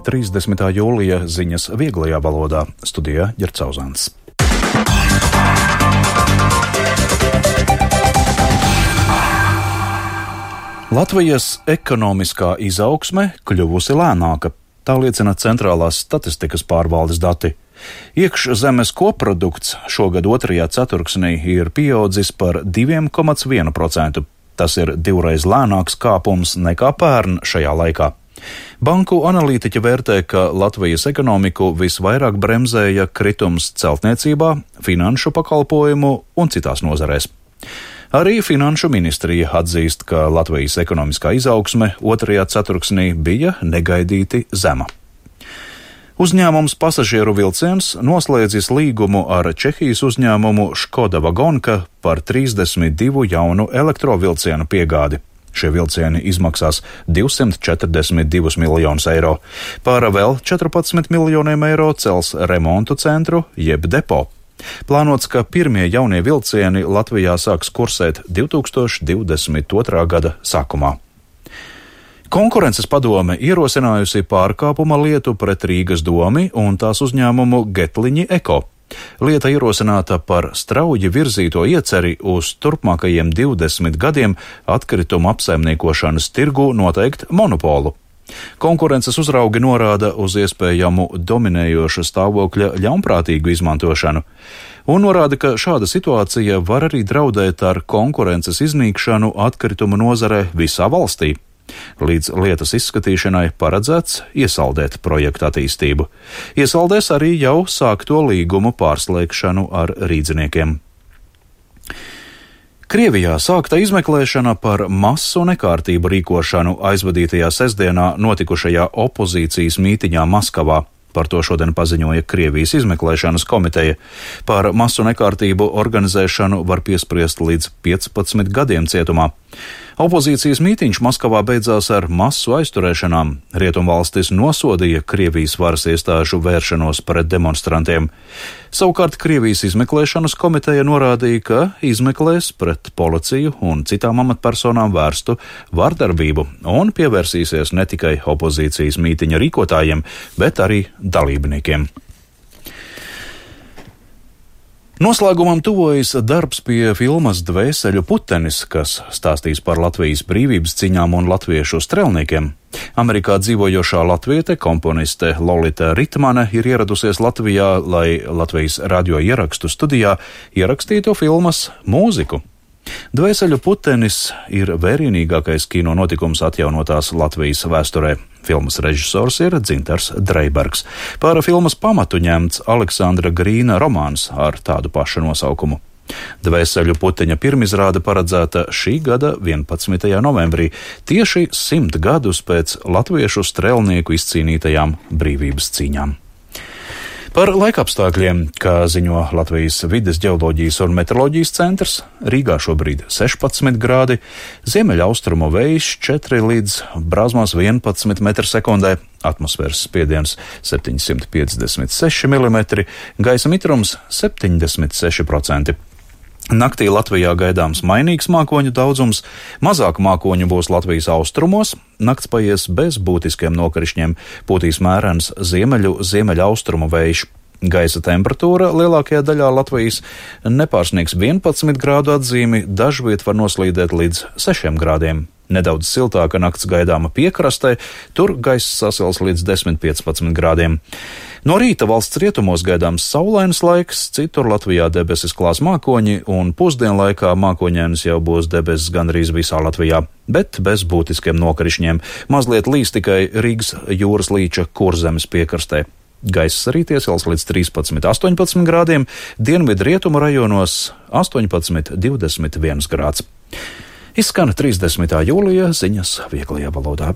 30. jūlija ziņas vieglajā valodā. Studijā Ģercauzāns. Latvijas ekonomiskā izaugsme kļuvusi lēnāka. Tā liecina Centrālās statistikas pārvaldes dati. Iekšzemes koprodukts šogad otrajā ceturksnī ir pieaudzis par 2,1%. Tas ir divreiz lēnāks kāpums nekā pērn šajā laikā. Banku analītiķi vērtē, ka Latvijas ekonomiku visvairāk bremzēja kritums celtniecībā, finanšu pakalpojumu un citās nozarēs. Arī Finanšu ministrija atzīst, ka Latvijas ekonomiskā izaugsme otrajā ceturksnī bija negaidīti zema. Uzņēmums Pasažieru vilciens noslēdzis līgumu ar Čehijas uzņēmumu Škoda Vagonka par 32 jaunu elektrovilcienu piegādi. Šie vilcieni izmaksās 242 miljonus eiro. Pār vēl 14 miljoniem eiro cels remontu centru jeb depo. Plānots, ka pirmie jaunie vilcieni Latvijā sāks kursēt 2022. gada sākumā. Konkurences padome ierosinājusi pārkāpuma lietu pret Rīgas domi un tās uzņēmumu Getliņi Eko. Lieta ierosināta par strauji virzīto ieceri uz turpmākajiem 20 gadiem atkritumu apsaimniekošanas tirgu noteikt monopolu. Konkurences uzraugi norāda uz iespējamu dominējoša stāvokļa ļaunprātīgu izmantošanu un norāda, ka šāda situācija var arī draudēt ar konkurences iznīkšanu atkritumu nozarē visā valstī. Līdz lietas izskatīšanai paredzēts iesaldēt projektu attīstību. Iesaldēs arī jau sākto līgumu pārslēgšanu ar rīdziniekiem. Krievijā sākta izmeklēšana par masu nekārtību rīkošanu aizvadītajā sestdienā notikušajā opozīcijas mītiņā Maskavā. Par to šodien paziņoja Krievijas izmeklēšanas komiteja. Par masu nekārtību organizēšanu var piespriest līdz 15 gadiem cietumā. Opozīcijas mītiņš Maskavā beidzās ar masu aizturēšanām. Rietumvalstis nosodīja Krievijas varas iestāžu vēršanos pret demonstrantiem. Savukārt Krievijas izmeklēšanas komiteja norādīja, ka izmeklēs pret policiju un citām amatpersonām vērstu vardarbību un pievērsīsies ne tikai opozīcijas mītiņa rīkotājiem, bet arī dalībniekiem. Noslēgumam tuvojas darbs pie filmas Dvēseļu putenis, kas stāstīs par Latvijas brīvības cīņām un latviešu strelniekiem. Amerikā dzīvojošā latviete, komponiste Lolita Ritmane ir ieradusies Latvijā, lai Latvijas radio ierakstu studijā ierakstītu filmas mūziku. Dvēseļu putenis ir vērienīgākais kino notikums atjaunotās Latvijas vēsturē. Filmas režisors ir Dzintars Dreibergs. Par filmas pamatu ņemts Aleksandra Grīna romāns ar tādu pašu nosaukumu. Dvēseļu puteņa pirmizrāde paredzēta šī gada 11. novembrī, tieši 100 gadus pēc latviešu strelnieku izcīnītajām brīvības cīņām. Par laikapstākļiem, kā ziņo Latvijas vides ģeoloģijas un meteoroloģijas centrs, Rīgā šobrīd 16 grādi, ziemeļaustrumu vējš 4 līdz brāzmās 11 m/sekundē, atmosfēras spiediens 756 mm, gaisa mitrums 76%. Naktī Latvijā gaidāms mainīgs mākoņu daudzums, mazāk mākoņu būs Latvijas austrumos, nakts paies bez būtiskiem nokrišņiem, pūtīs mērens ziemeļaustrumu vējš. Gaisa temperatūra lielākajā daļā Latvijas nepārsniegs 11 grādu atzīmi, dažviet var noslīdēt līdz 6 grādiem. Nedaudz siltāka nakts gaidāma piekrastē, tur gaiss sasils līdz 10-15 grādiem. No rīta valsts rietumos gaidāms saulains laiks, citur Latvijā debesis klās mākoņi, un pusdienlaikā mākoņainas jau būs debesis gandrīz visā Latvijā, bet bez būtiskiem nokrišņiem. Mazliet līs tikai Rīgas jūras līča Kurzemes piekrastē. Gaiss arī iesils līdz 13-18 grādiem, dienvidu rietumu rajonos 18-21 grāds. Izskan 30. jūlija ziņas vieglajā valodā.